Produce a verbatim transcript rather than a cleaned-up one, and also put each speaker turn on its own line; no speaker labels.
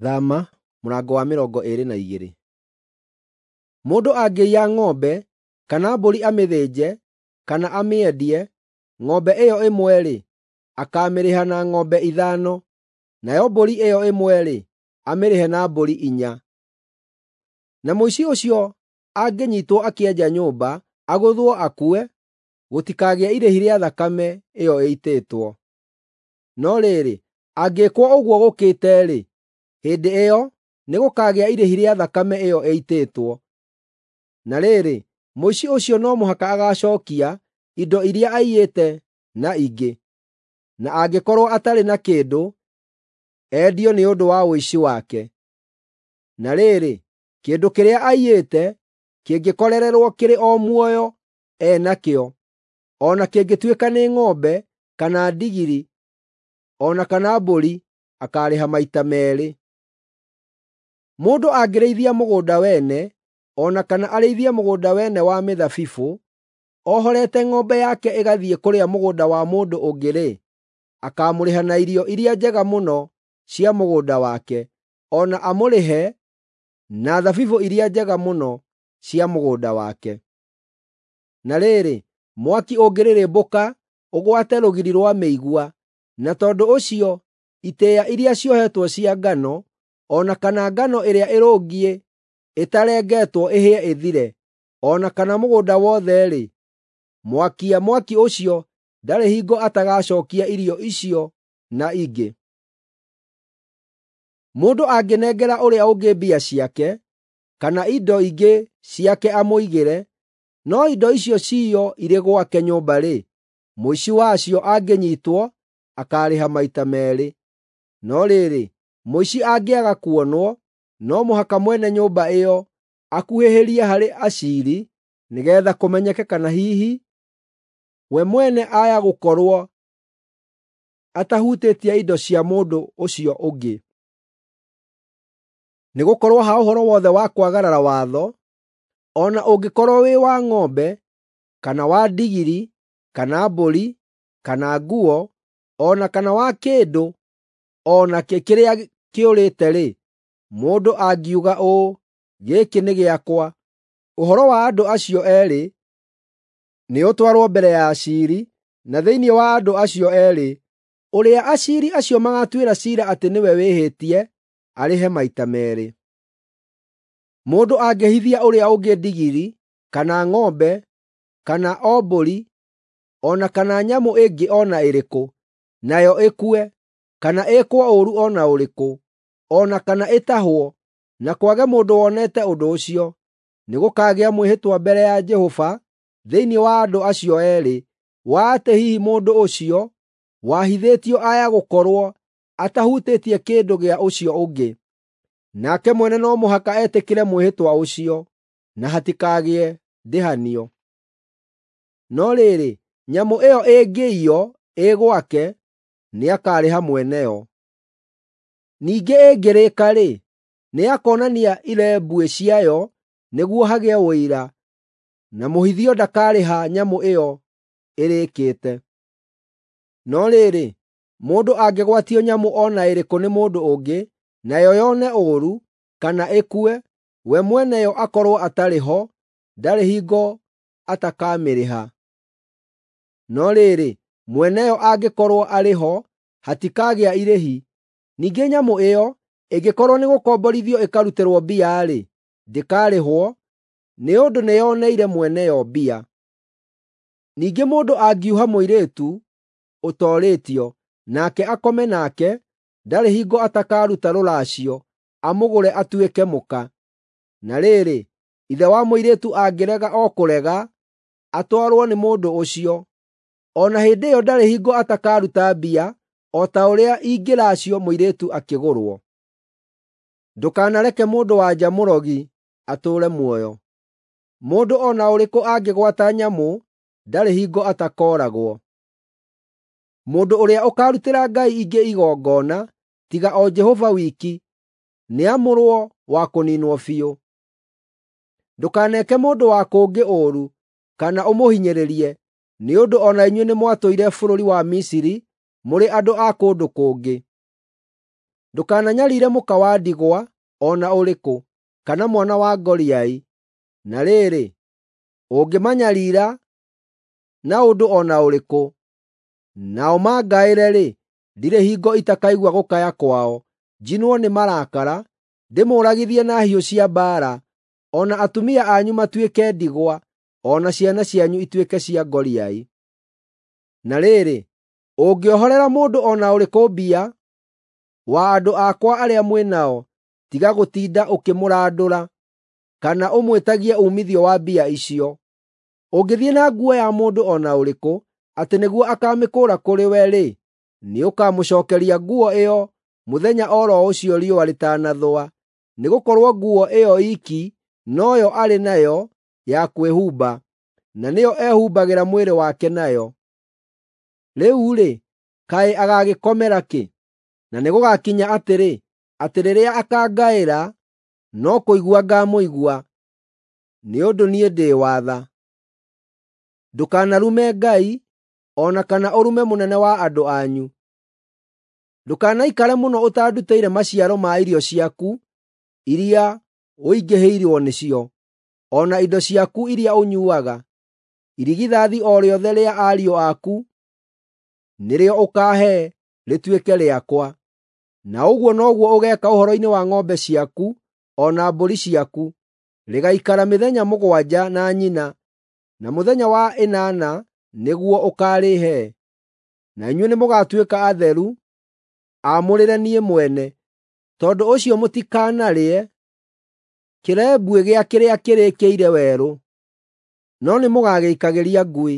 Thama mũrango wa mĩrongo ĩĩrĩ na igĩrĩ. Mũndũ angĩiya ng'ombe kana mbũri amĩthĩnje kana amĩendie, ng'ombe ĩyo ĩmwe-rĩ, akaamĩrĩha na ng'ombe ithano, nayo mbũri ĩyo ĩmwe-rĩ, amĩrĩhe na mbũri inya. Na mũici ũcio angĩnyiitwo akĩenja nyũmba, agũthwo akue, gũtikagĩe irĩhi rĩa thakame ĩyo ĩitĩtwo. No rĩrĩ, angĩĩkwo ũguo gũkĩte-rĩ, hĩndĩ ĩyo nĩgũkagĩa irĩhi rĩa thakame ĩyo ĩitĩtwo. Na rĩrĩ, mũici ũcio no mũhaka agacookia indo iria aiyĩte na ingĩ, na angĩkorwo atarĩ na kĩndũ, endio nĩ ũndũ wa ũici wake. Na rĩrĩ, kĩndũ kĩrĩa aiyĩte kĩngĩkorererwo kĩrĩ o muoyo e nakĩo, o na kĩngĩtuĩka nĩ ng'ombe kana ndigiri o na kana mbũri, akaarĩha maita meerĩ. Mũndũ angĩrĩithia mũgũnda wene, o na kana arĩithie mũgũnda wene wa mĩthabibũ, ohorete ng'ombe yake ĩgathiĩ kũrĩa mũgũnda wa mũndũ ũngĩ-rĩ, akaamũrĩha na irio iria njega mũno cia mũgũnda wake, o na amũrĩhe na thabibũ iria njega mũno cia mũgũnda wake. Na rĩrĩ, mwaki ũngĩrĩrĩmbũka ũgwate rũgiri rwa mĩigua, na tondũ ũcio itĩĩa iria ciohetwo cia ngano, o na kana ngano ĩrĩa ĩrũngiĩ ĩtarengetwo ĩhĩe ĩthire, o na kana mũgũnda wothe-rĩ, mwakia mwaki ũcio ndarĩ hingo atagacookia irio icio na ingĩ. Mũndũ angĩnengera ũrĩa ũngĩ mbia ciake, kana indo ingĩ ciake amũigĩre, no indo icio ciiywo irĩ gwake nyũmba-rĩ, mũici wacio angĩnyiitwo akaarĩha maita meerĩ. No rĩrĩ, mũici angĩaga kuonwo, no mũhaka mwene nyũmba ĩyo akuhĩhĩrie harĩ aciiri nĩgeetha kũmenyeke kana hihi we mwene aya gũkorwo atahutĩtie indo cia mũndũ ũcio ũngĩ. Nĩgũkorwo ha ũhoro wothe wa kwagarara watho, o na ũngĩkorwo wĩ wa ng'ombe, kana wa ndigiri, kana mbũri, kana nguo, o na kana wa kĩndũ o nakĩ kĩrĩa kĩũrĩte-rĩ, mũndũ angiuga ũũ, “Gĩkĩ nĩ gĩakwa,” ũhoro wa andũ acio eerĩ nĩũtwarwo mbere ya aciiri, na thĩinĩ wa andũ acio eerĩ, ũrĩa aciiri acio magaatuĩra ciira atĩ nĩwe wĩhĩtie, arĩhe maita meerĩ. Mũndũ angĩhithia ũrĩa ũngĩ ndigiri, kana ng'ombe, kana o mbũri, o na kana nyamũ ĩngĩ o na ĩrĩkũ, nayo ĩkue, kana ĩĩkwo ũũru o na ũrĩkũ, o na kana ĩtahwo, na kwage mũndũ wonete ũndũ ũcio, nĩgũkagĩa mwĩhĩtwa mbere ya Jehova thĩinĩ wa andũ acio eerĩ, wa atĩ hihi mũndũ ũcio wahithĩtio aya gũkorwo atahutĩtie kĩndũ gĩa ũcio ũngĩ. Nake mwene no mũhaka etĩkĩre mwĩhĩtwa ũcio, na hatikagĩe ndĩhanio. No rĩrĩ, nyamũ ĩyo ĩngĩiywo ĩ gwake, nĩakarĩha mwene yo. Ningĩ ĩngĩrĩĩka-rĩ, nĩakonania irembuĩ ciayo nĩguo hagĩe ũira, na mũhithio ndakarĩha nyamũ ĩyo ĩrĩĩkĩte. No rĩrĩ, mũndũ angĩgwatio nyamũ o na ĩrĩkũ nĩ mũndũ ũngĩ, nayo yone ũũru, kana ĩkue, we mwene yo akorwo atarĩ ho, ndarĩ hingo atakamĩrĩha. No rĩrĩ, mwene yo angĩkorwo arĩ ho, hatikagĩa irĩhi. Ningĩ nyamũ ĩyo ĩngĩkorwo nĩgũkomborithio ĩkarutĩrwo mbia-rĩ, ndĩkarĩhwo, nĩ ũndũ nĩyoneire mwene yo mbia. Ningĩ mũndũ angiuha mũirĩtu ũtoorĩtio, nake akome nake, ndarĩ hingo atakaruta rũracio amũgũre atuĩke mũka. Na rĩrĩ, ithe wa mũirĩtu angĩrega o kũrega atwarwo nĩ mũndũ ũcio, o na hĩndĩ ĩyo ndarĩ hingo atakaruta mbia o ta ũrĩa ingĩracio mũirĩtu akĩgũrwo. Ndũkanareke mũndũ-wa-nja mũrogi atũũre muoyo. Mũndũ o na ũrĩkũ angĩgwata nyamũ ndarĩ hingo atakooragwo. Mũndũ ũrĩa ũkaarutĩra ngai ingĩ igongona, tiga o Jehova wiki, nĩamũrwo wa kũniinwo biũ. Ndũkaneke mũndũ wa kũngĩ ũũru kana ũmũhinyĩrĩrie, nĩ ũndũ o na inyuĩ nĩmwatũire bũrũri wa Misiri mũrĩ andũ a kũndũ kũngĩ. Ndũkananyariire mũka wa ndigwa o na ũrĩkũ, kana mwana wa ngoriai. Na rĩrĩ, ũngĩmanyariira na ũndũ o na ũrĩkũ, nao mangaĩre-rĩ, ndirĩ hingo itakaigua gũkaya kwao, njinwo nĩ marakara, ndĩmũũragithie na hiũ cia mbaara, o na atumia anyu matuĩke ndigwa, o na ciana cianyu ituĩke cia ngoriai. Na rĩrĩ, ũngĩohorera mũndũ o na ũrĩkũ mbia wa andũ akwa arĩa mwĩ nao, tiga gũtinda ũkĩmũrandũra, kana ũmwĩtagie uumithio wa mbia icio. Ũngĩthiĩ na nguo ya mũndũ o na ũrĩkũ, atĩ nĩguo akaamĩkũũra kũrĩ we-rĩ, nĩũkamũcookeria nguo ĩyo mũthenya o ro ũcio riũa rĩtanathũa, nĩgũkorwo nguo ĩyo iki noyo arĩ nayo ya kwĩhumba, na nĩyo ehumbagĩra mwĩrĩ wake nayo. Rĩu-rĩ, kaĩ agagĩkomera kĩ? Na nĩgũgakinya atĩrĩ, atĩ rĩrĩa akangaĩra, no kũigua ngaamũigua, nĩ ũndũ niĩ ndĩ wa tha. Ndũkanarume Ngai, o na kana ũrume mũnene wa andũ anyu. Ndũkanaikare mũno ũtandutĩire maciaro ma irio ciaku iria ũingĩhĩirwo nĩcio, o na indo ciaku iria ũnyuuaga. Irigithathi o rĩothe rĩa ariũ aku nĩrĩo ũkaahe rĩtuĩke rĩakwa. Na ũguo noguo ũgeeka ũhoro-inĩ wa ng'ombe ciaku o na mbũri ciaku. Rĩgaikara mĩthenya mũgwanja na nyina, na mũthenya wa ĩnana nĩguo ũkaarĩhe. Na inyuĩ nĩmũgatuĩka atheru, aamũrĩre niĩ mwene. Tondũ ũcio mũtikanarĩe kĩrembuĩ gĩa kĩrĩa kĩrĩkĩire werũ, no nĩmũgagĩikagĩria ngui.